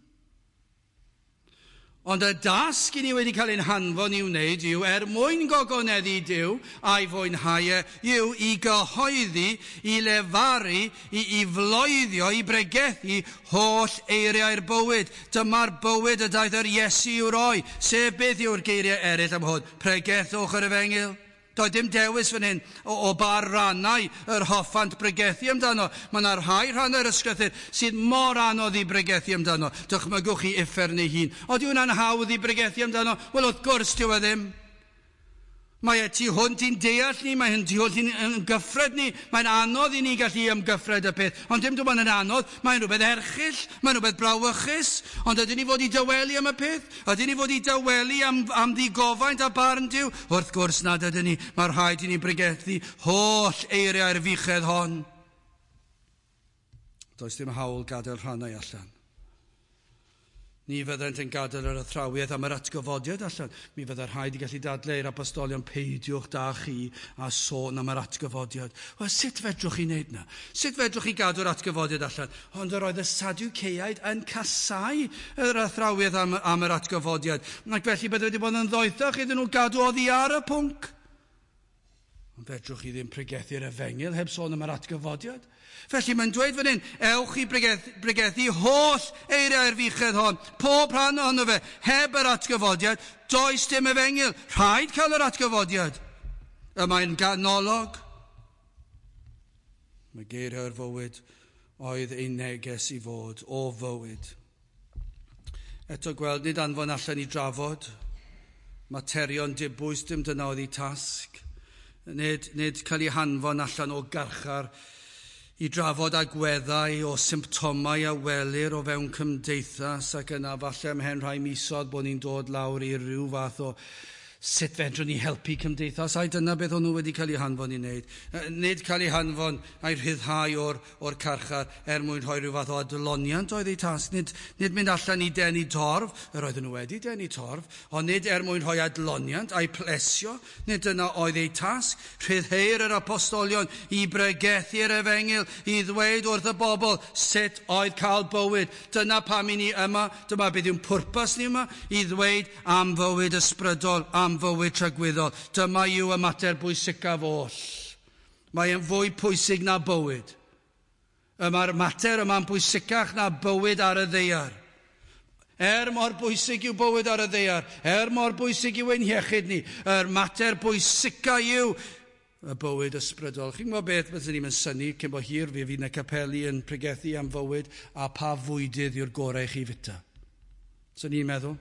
Ond y dasg i ni wedi cael ein hanfon i'w wneud yw, er mwyn gogoneddu Duw a'i fwynhau e, yw i gyhoeddi, i lefaru, i, i floeddio, i bregethu holl eiriau'r bywyd. Dyma'r bywyd y daeth yr Iesu i'w roi, sef beth yw'r geiriau eraill am hwn? Pregethwch yr efengyl. Doedd dim dewis fan hyn o, o ba rannau yr hoffant bregethu amdano. Mae yna rhai rhannau'r ysgrythur sydd mor anodd i bregethu amdano. Dychmygwch chi uffern ei hun. Oeddi hwnna'n hawdd i bregethu amdano? Wel, wrth gwrs, dyw e ddim. Mae e tu hwnt i'n deall ni, mae tu hwnt i'n ymgyffred ni, mae'n anodd i ni gallu ymgyffred y peth. Ond dim dwi'n yn anodd, mae'n rhywbeth erchyll, mae'n rhywbeth brawychus, ond ydyn ni fod i dawelu am y peth? Ydyn ni fod i dawelu am, am ddigofaint a barn Duw? Wrth gwrs nad ydyn ni, mae rhaid i ni bregethu holl eiriau'r fuchedd hon. Does dim hawl gadael rhannau allan. Ni fyddent yn gadael yr athrawiaeth am yr atgyfodiad allan. Mi fydde rhaid i gallu dadlau i'r apostolion, peidiwch da chi a sôn am yr atgyfodiad. Wel, sut fedrwch chi wneud na? Sut fedrwch chi gadw'r atgyfodiad allan? Ond yr oedd y Sadwceaid yn casau yr athrawiaeth am, am yr atgyfodiad. Ac felly bydde wedi bod yn ddoethach iddyn nhw gadw oddi ar y pwnc. Ond fedrwch chi ddim pregethu'r efengyl heb sôn am yr atgyfodiad. Felly mae'n dweud fan hyn, ewch i bregethu, bregethu holl eiriau'r fuchedd hon, pob rhan ohono fe, heb yr atgyfodiad, does dim efengyl. Rhaid cael yr atgyfodiad. Y mae'n ganolog. Mae geiriau'r fywyd oedd ei neges i fod o fywyd. Eto gweld, nid anfon allan i drafod materion dibwys, dim dyna oedd ei tasg. Nid, nid cael ei hanfon allan o garchar i drafod agweddau o symptomau a welir o fewn cymdeithas, ac yna falle ymhen rhai misoedd bod ni'n dod lawr i ryw fath o sut fedrwn ni helpu cymdeithas. Ai dyna beth o'n nhw wedi cael eu hanfon i wneud. Nid cael eu hanfon a'i rhyddhau o'r, o'r carchar er mwyn rhoi rhyw fath o adloniant oedd eu tasg. Nid, nid mynd allan i denu torf, yr oedden nhw wedi denu torf, ond nid er mwyn rhoi adloniant a'i plesio. Nid dyna oedd eu tasg. Rhyddheir yr apostolion i bregethu'r efengyl, i ddweud wrth y bobl sut oedd cael bywyd. Dyna pam i ni yma, dyma beth yw'n pwrpas ni yma, i ddweud am fywyd ysbrydol, am fywyd tragwyddol. Dyma yw y mater bwysicaf oll. Mae e'n fwy pwysig na bywyd. Y mae'r mater yma'n bwysicach na bywyd ar y ddaear. Er mor bwysig yw bywyd ar y ddaear, er mor bwysig yw ein hiechyd ni, yr mater bwysica yw y bywyd ysbrydol. Chi'n gwybod beth, byddwn ni'n synnu cyn bo hir, fi fydd yn y capeli yn pregethu am fywyd a pa fwydydd yw'r gorau i chi fita. So ni'n meddwl.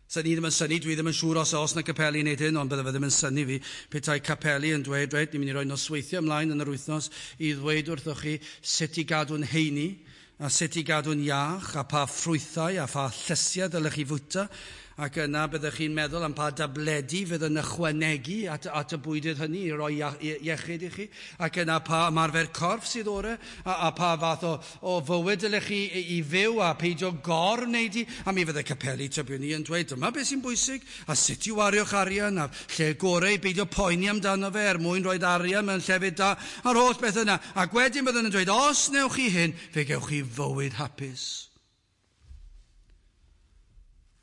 So ni ddim yn synnu, dwi ddim yn siŵr os oes na capeli yn neud hyn, ond bydde fe ddim yn synnu fi. Petai capeli yn dweud, reit, ni'n mynd i roi nosweithiau ymlaen yn yr wythnos i ddweud wrthoch chi sut i gadw'n heini, a sut i gadw'n iach, a pa ffrwythau a pha llysiau dylech chi fwyta. Ac yna byddech chi'n meddwl am pa dabledi fydd yn ychwanegu at, at y bwydydd hynny i roi iechyd i chi. Ac yna pa ymarfer corff sydd orau, a, a pa fath o, o fywyd dylech chi i, i fyw a peidio gor wneud i. A mi fydde capeli tybiwn ni yn dweud dyma beth sy'n bwysig, a sut i wario'ch arian, a lle gorau i beidio poeni amdano fe er mwyn rhoi arian mewn llefydd da, a'r holl beth yna. Ac wedyn byddwn yn dweud, os newch chi hyn, fe gewch chi fywyd hapus.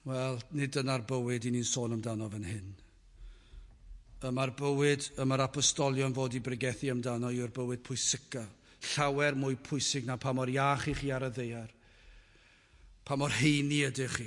Wel, nid dyna'r bywyd i ni'n sôn amdano fan hyn. Y mae'r bywyd, y mae'r apostolion fod i bregethu amdano yw'r bywyd pwysica. Llawer mwy pwysig na pa mor iach i chi ar y ddaear. Pa mor heini ydych chi.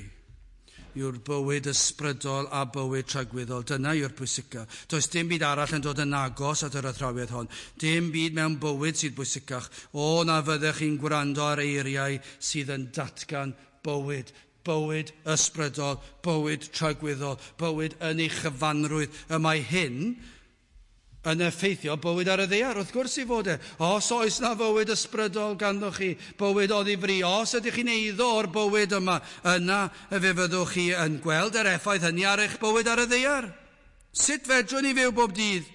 Yw'r bywyd ysbrydol a bywyd tragwyddol. Dyna yw'r pwysica. Does dim byd arall yn dod yn agos at yr athrawiaeth hon. Dim byd mewn bywyd sydd bwysicach. O, na fyddech chi'n gwrando ar eiriau sydd yn datgan bywyd. Bywyd ysbrydol, bywyd tragwyddol, bywyd yn ei chyfanrwydd. Y mae hyn yn effeithio bywyd ar y ddaear, wrth gwrs i fod e. Os oes na fywyd ysbrydol ganddo chi, bywyd o ddifri, os ydych chi'n eiddo o'r bywyd yma, yna fe fyddwch chi yn gweld yr effaith hynny ar eich bywyd ar y ddaear. Sut fedrwn ni fyw bob dydd?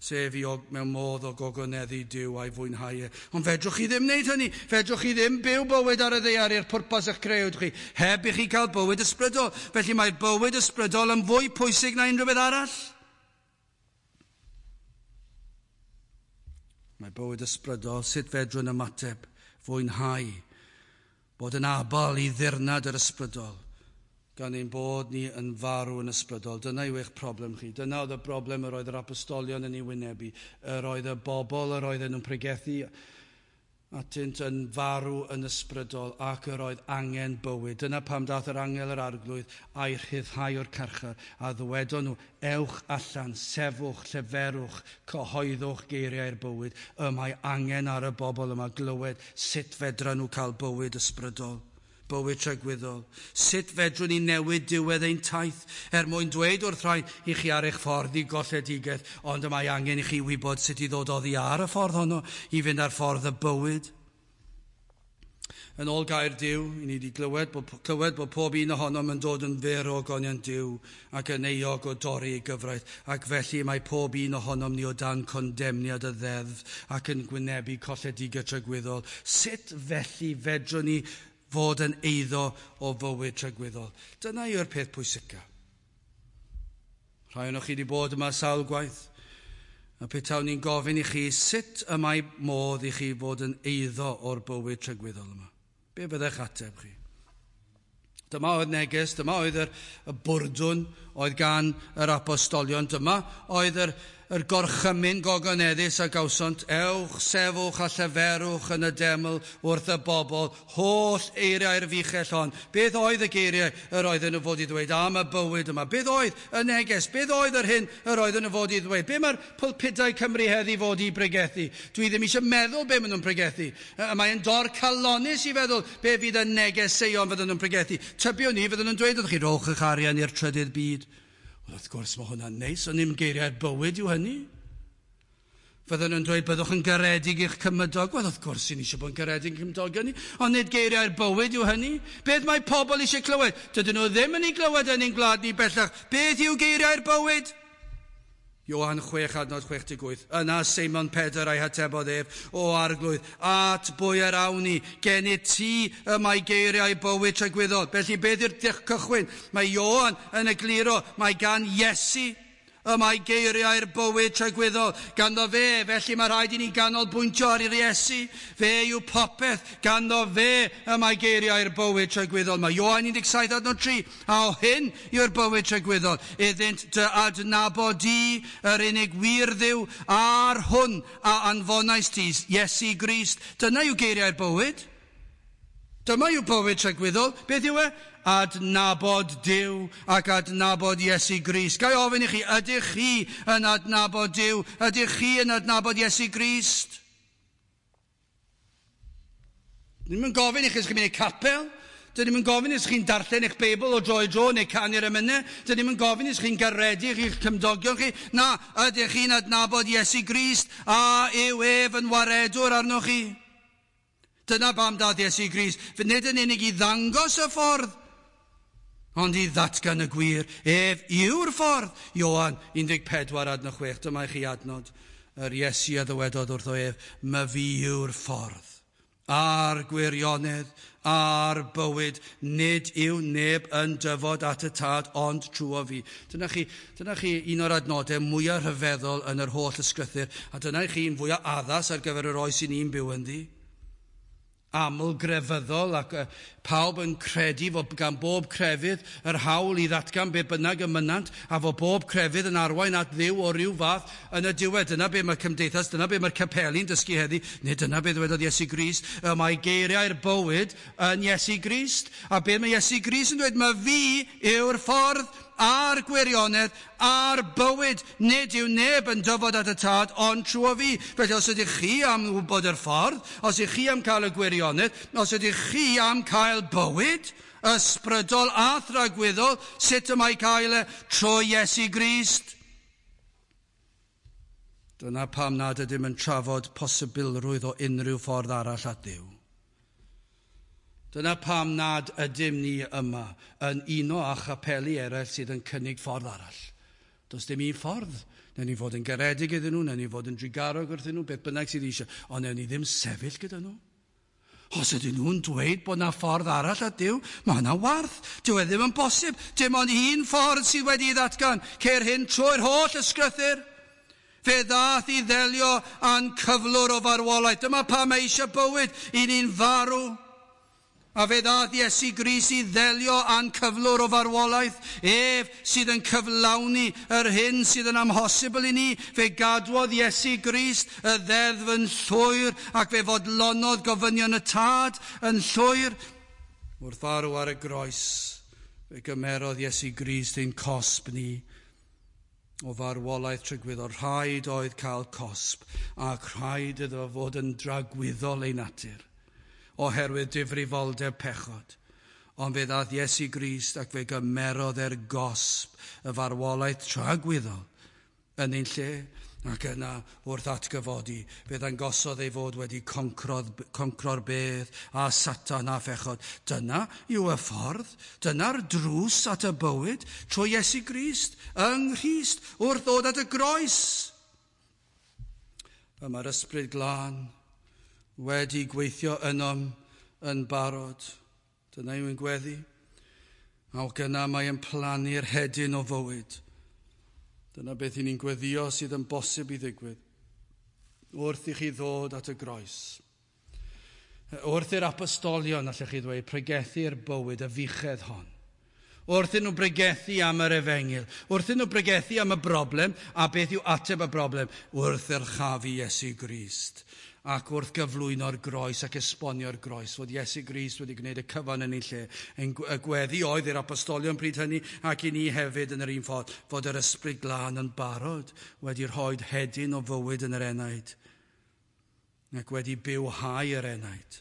Sef i og, mewn modd o gogoneddu Duw a'i fwynhau e. Ond fedrwch chi ddim wneud hynny. Fedrwch chi ddim byw bywyd ar y ddaear i'r pwrpas eich creuwyd chi, heb i chi cael bywyd ysbrydol. Felly mae'r bywyd ysbrydol yn fwy pwysig na unrhyw beth arall. Mae bywyd ysbrydol, sut fedrwn ymateb, fwynhau, bod yn abal i ddirnad yr ysbrydol, gan ein bod ni yn farw yn ysbrydol. Dyna yw eich problem chi. Dyna oedd y broblem yr oedd yr apostolion yn ei wynebu. Yr oedd y bobl yr oedden nhw'n pregethu atynt yn farw yn ysbrydol ac yr oedd angen bywyd. Dyna pam dath yr angel yr arglwydd a'i rhyddhau o'r carchar a ddywedon nhw, ewch allan, sefwch, lleferwch, cyhoeddwch geiriau'r bywyd. Y mae angen ar y bobl yma glywed sut fedra nhw cael bywyd ysbrydol. Bywyd tragwyddol. Sut fedrwn ni newid diwedd ein taith er mwyn dweud wrth rhai i chi ar eich ffordd i golledigaeth, ond y mae angen i chi wybod sut i ddod oddi ar y ffordd honno i fynd ar ffordd y bywyd. Yn ôl gair Duw, i ni wedi glywed bod, clywed bod pob un ohonom yn dod yn fyr o ogoniant Duw ac yn euog o dorri ei gyfraith, ac felly mae pob un ohonom ni o dan condemniad y ddeddf ac yn gwynebu colledigaeth tragwyddol. Sut felly fedrwn ni fod yn eiddo o fywyd tragwyddol? Dyna yw'r peth pwysica. Rhai ohonoch chi wedi bod yma sawl gwaith, a petawn ni'n gofyn i chi sut y mae modd i chi fod yn eiddo o'r bywyd tragwyddol yma. Be fyddai'ch ateb chi? Dyma oedd neges, dyma oedd yr, y bwrdwn oedd gan yr apostolion, dyma oedd yr, yr gorchymyn gogoneddus a gawsont, ewch, sefwch a lleferwch yn y deml wrth y bobl, holl eiriau'r fuchell hon. Beth oedd y geiriau yr oedden nhw fod i ddweud am y bywyd yma? Beth oedd y neges? Beth oedd yr hyn yr oedden nhw fod i ddweud? Be mae'r pulpudau Cymru heddi fod i bregethu? Dwi ddim eisiau meddwl be maen nhw'n pregethu. Mae'n dorcalonnus i feddwl be fydd y negeseuon fydden nhw'n pregethu. Tybiwn ni fydden nhw'n dweud wrth chi, rowch eich arian i'r trydydd byd. Wel, wrth gwrs mae hwnna'n neis, ond ddim geiriau'r bywyd yw hynny. Fydden nhw'n dweud byddwch yn garedig i'ch cymydog. Wel, wrth gwrs, ni'n eisiau bod yn garedig i'n cymdogion ni, ond nid geiriau'r bywyd yw hynny. Beth mae pobl eisiau clywed? Dydyn nhw ddim yn ei glywed yn ein gwlad ni bellach. Beth yw geiriau'r bywyd? Ioan chwech adnod chwech deg wyth. Yna Seimon Pedr a'i hatebodd ef, o Arglwydd, at bwy yr awn ni, gennyt ti y mae geiriau bywyd tragwyddol. Felly beth yw'r cychwyn? Mae Ioan yn egluro, mae gan Iesu y mae geiriau'r bywyd tragwyddol. Ganddo fe, felly mae rhaid i ni ganolbwyntio ar yr Iesu. Fe yw popeth, ganddo fe y mae geiriau'r bywyd tragwyddol. Mae Ioan un deg saith adnod tri, a o hyn yw'r bywyd tragwyddol. Iddynt dy adnabod di, yr unig wir Dduw, a'r hwn a anfonais ti, Iesu Grist. Dyna yw geiriau'r bywyd. Dyma yw bywyd tragwyddol. Beth yw e? Adnabod Duw ac adnabod Iesu Grist. Ga i ofyn i chi, ydych chi yn adnabod Duw? Ydych chi yn adnabod Iesu Grist? Ddim yn gofyn i chi os chi'n mynd i'r capel. Dyn ni'n gofyn os chi'n darllen eich Beibl o dro i dro neu canu'r emynau. Dyn ni'n gofyn os chi'n garedig i'ch cymdogion chi. Na, ydych chi'n adnabod Iesu Grist a yw ef yn waredwr arnoch chi? Dyna pam dath Iesu Grist. Nid yn unig i ddangos y ffordd, ond i ddatgan y gwir. Ef yw'r ffordd. Ioan un deg pedwar adnod chwech. Dyma i chi adnod. Yr Iesu a ddywedodd wrtho ef, my fi yw'r ffordd, a'r gwirionedd, a'r bywyd. Nid yw neb yn dyfod at y tad, ond trwy fi. Dyna chi, dyna chi un o'r adnodau mwyaf rhyfeddol yn yr holl ysgrythur, a dyna chi un fwyaf addas ar gyfer yr oes i ni'n byw ynddi. Aml grefyddol ac pawb yn credu fod gan bob crefydd yr hawl i ddatgan be bynnag y mynant a fod bob crefydd yn arwain at Dduw o ryw fath yn y diwedd. Dyna be mae cymdeithas, dyna be mae'r capeli'n dysgu heddi, nid dyna be ddywedodd Iesu Grist. Y mae geiriau'r bywyd yn Iesu Grist. A be mae Iesu Grist yn dweud, mae fi yw'r ffordd a'r gwirionedd a'r bywyd. Nid yw neb yn dyfod at y tad, ond trwy fi. Felly os ydych chi am wybod yr ffordd, os ydych chi am cael y gwirionedd, os ydych chi am cael bywyd ysbrydol a thragwyddol, sut y mae cael e? Trwy Iesu Grist. Dyna pam nad ydym yn trafod posibilrwydd o unrhyw ffordd arall at Dduw. Dyna pam nad ydym ni yma yn uno â chapeli eraill sydd yn cynnig ffordd arall. Does dim un ffordd. Newn ni fod yn garedig iddyn nhw, newn ni fod yn drugarog wrthyn nhw, beth bynnag sydd eisiau, ond newn ni ddim sefyll gyda nhw. Os ydyn nhw'n dweud bod na ffordd arall at Duw, mae hwnna warth. Dyw e ddim yn bosib. Dim ond un ffordd sydd wedi'i ddatgan. Ceir hyn trwy'r holl ysgrythur. Fe ddath i ddelio â'n cyflwr o farwolaeth. Dyma pam mae eisiau bywyd i ni'n farw. A fe ddath Iesu Grist i ddelio â'n cyflwr o farwolaeth. Ef sydd yn cyflawni yr hyn sydd yn amhosibl i ni. Fe gadwodd Iesu Grist y ddeddf yn llwyr ac fe fodlonodd gofynion y tad yn llwyr. Wrth farw ar y groes, fe gymerodd Iesu Grist ein cosb ni o farwolaeth tragwyddol. Rhaid oedd cael cosb ac rhaid iddo fod yn dragwyddol ei natur, oherwydd difrifoldeb pechod. Ond fe ddath Iesu Grist ac fe gymerodd er gosb y farwolaeth tragwyddol yn ein lle, ac yna wrth atgyfodi, fe ddangosodd ei fod wedi concro'r bedd a Satan a phechod. Dyna yw y ffordd, dyna'r drws at y bywyd trwy Iesu Grist, yng Nghrist, wrth ddod at y groes. Y mae'r Ysbryd Glân wedi gweithio ynom yn barod. Dyna yw'n gweddi. Ac yna mae yn plannu'r hedyn o fywyd. Dyna beth i ni'n gweddio sydd yn bosib i ddigwydd. Wrth i chi ddod at y groes. Wrth i'r apostolion, allech chi ddweud, pregethu'r bywyd, y fuchedd hon. Wrth iddyn nhw bregethu am yr efengyl. Wrth iddyn nhw bregethu am y broblem, a beth yw ateb y broblem? Wrth yrchafu Iesu Grist. Ac wrth gyflwyno'r groes ac esbonio'r groes, fod Iesu Grist wedi gwneud y cyfan yn ei lle. Y gweddi oedd i'r apostolion pryd hynny, ac i ni hefyd yn yr un ffordd, fod yr Ysbryd Glân yn barod wedi rhoi hedyn o fywyd yn yr enaid, ac wedi bywhau yr enaid,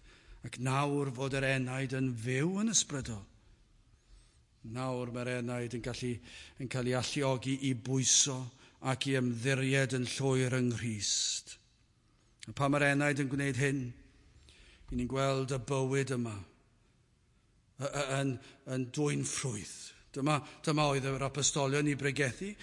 ac nawr fod yr enaid yn fyw yn ysbrydol. Nawr mae'r enaid yn, gallu, yn cael ei alluogi i bwyso ac i ymddiried yn llwyr yng Nghrist. A pan mae'r enaid yn gwneud hyn, i ni'n gweld y bywyd yma yn, yn dwyn ffrwyth. Dyma, dyma oedd yr apostolion i bregethu.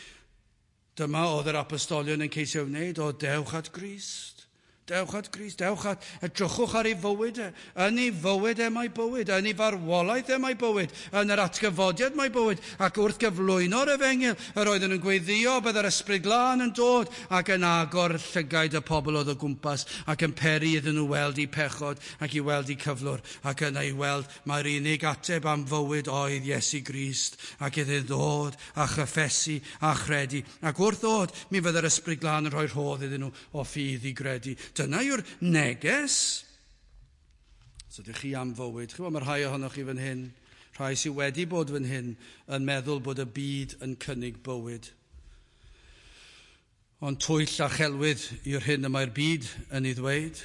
Dyma oedd yr apostolion yn ceisio wneud, o dewch at Grist. Dewch at Grist, dewch at, edrychwch ar ei fywyd e. Yn ei fywyd e mae bywyd, yn ei farwolaeth e mae bywyd, yn yr atgyfodiad mae bywyd, ac wrth gyflwyno'r efengyl, yr oedden nhw'n gweddïo bydd yr Ysbryd Glân yn dod ac yn agor llygaid y pobl oedd o gwmpas ac yn peri iddyn nhw weld eu pechod ac i weld eu cyflwr, ac yna i weld mae'r unig ateb am fywyd oedd Iesu Grist, ac iddyn ddod a chyffesu a chredu. Ac wrth ddod, mi fydd yr Ysbryd Glân yn rhoi rhodd iddyn nhw o ffydd i gredu. Dyna yw'r neges. So ydych chi am fywyd. Chi'n gwybod, mae rhai ohonoch chi fan hyn, rhai sydd wedi bod fan hyn, yn meddwl bod y byd yn cynnig bywyd. Ond twyll a chelwydd yw'r hyn y mae'r byd yn ei ddweud.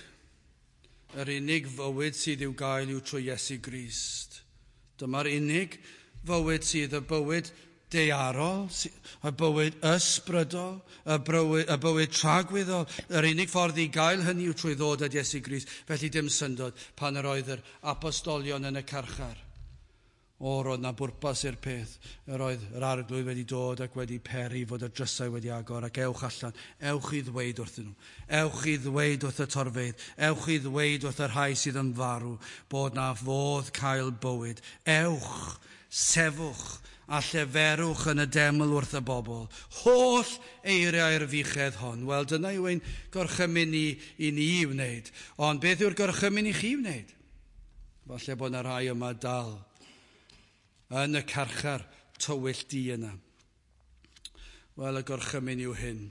Yr unig fywyd sydd i'w gael yw trwy Iesu Grist. Dyma'r unig fywyd sydd y bywyd daearol, y bywyd ysbrydol, y bywyd, y bywyd tragwyddol. Yr unig ffordd i gael hynny yw trwy ddod at Iesu Grist. Felly dim syndod pan yr oedd yr apostolion yn y carchar. O, roedd na bwrpas i'r peth. Yr oedd yr Arglwydd wedi dod ac wedi peri fod y drysau wedi agor, ac ewch allan, ewch i ddweud wrthyn nhw. Ewch i ddweud wrth y torfeydd, ewch i ddweud wrth y rhai sydd yn farw, bod na fodd cael bywyd. Ewch, sefwch, a lleferwch yn y deml wrth y bobl. Holl eiriau'r fuchedd hon. Wel, dyna yw ein gorchymyn ni i ni i wneud. Ond beth yw'r gorchymyn i chi wneud? Falle bod yna rhai yma dal yn y carchar tywyll di yna. Wel, y gorchymyn yw hyn,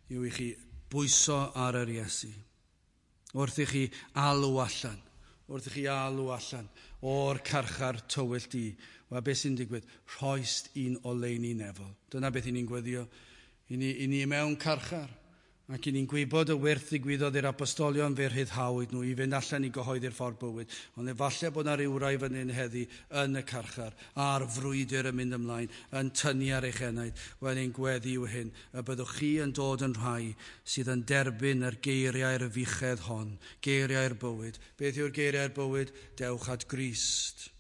yw i chi bwyso ar yr Iesu. Wrth i chi alw allan, wrth i chi alw allan o'r carchar tywyll di. Wel, beth sy'n digwydd? Rhoist un oleuni nefol. Dyna beth i ni'n gweddio. I ni, i ni mewn carchar. Ac i ni'n gwybod y wyrth ddigwyddodd i'r apostolion, fe rhyddhawyd nhw i fynd allan i gyhoeddi'r ffordd bywyd. Ond efallai bod yna rywrai fan hyn heddi yn y carchar, a'r frwydr yn mynd ymlaen, yn tynnu ar eich enaid. Wel, ein gweddi yw hyn, y byddwch chi yn dod yn rhai sydd yn derbyn yr geiriau'r fuchedd hon, geiriau'r bywyd. Beth yw'r geiriau'r bywyd? Dewch at Grist.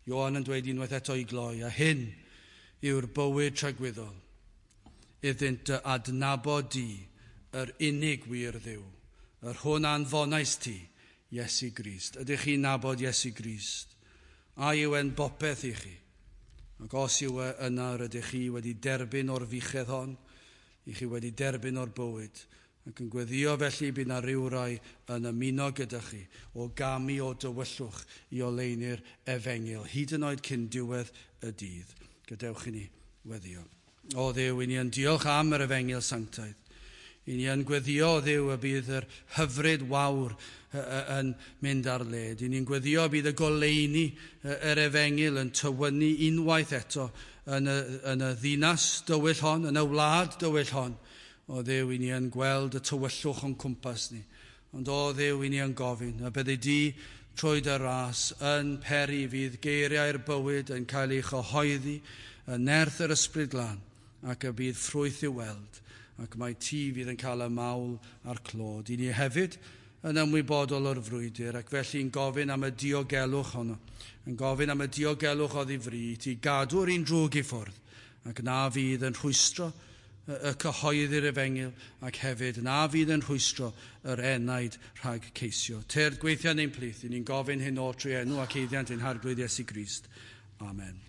Ioan yn dweud unwaith eto i gloi, a hyn yw'r bywyd tragwyddol, iddynt dy adnabod di, yr unig wir Dduw, yr hwn anfonais ti, Iesu Grist. Ydych chi'n nabod Iesu Grist? A yw e'n bopeth i chi? Ac os yw e yna, rydych chi wedi derbyn o'r fuchedd hon, i chi wedi derbyn o'r bywyd, ac yn gweddio felly bydd na rywrai yn ymuno gyda chi o gamu o dywyllwch i oleuni'r efengyl, hyd yn oed cyn diwedd y dydd. Gadewch i ni weddio. O Dduw, i ni yn diolch am yr efengyl sanctaidd. I ni yn gweddio, Dduw, y bydd yr hyfryd wawr yn mynd ar led. I ni'n gweddio bydd y goleuni yr efengyl yn tywynnu unwaith eto yn y, yn y ddinas dywyll hon, yn y wlad dywyll hon. O Dduw, i ni yn gweld y tywyllwch o'n cwmpas ni. Ond o Dduw, i ni yn gofyn, a byddi di trwy dy ras yn peri fydd geiriau'r bywyd yn cael ei chyhoeddi yn nerth yr Ysbryd Glân, ac y bydd ffrwyth i'w weld, ac mae ti fydd yn cael y mawl a'r clod. I ni hefyd yn ymwybodol o'r frwydr, ac felly'n gofyn am y diogelwch honno, yn gofyn am y diogelwch oddi fri, ti gadw'r un drwg i ffwrdd, ac na fydd yn rhwystro y cyhoeddi'r efengyl ac hefyd na fydd yn rhwystro yr enaid rhag ceisio. Tyrd gweithio yn ein plith, i ni'n gofyn hyn oll trwy enw ac eiddiant ein Harglwydd Iesu Grist. Amen.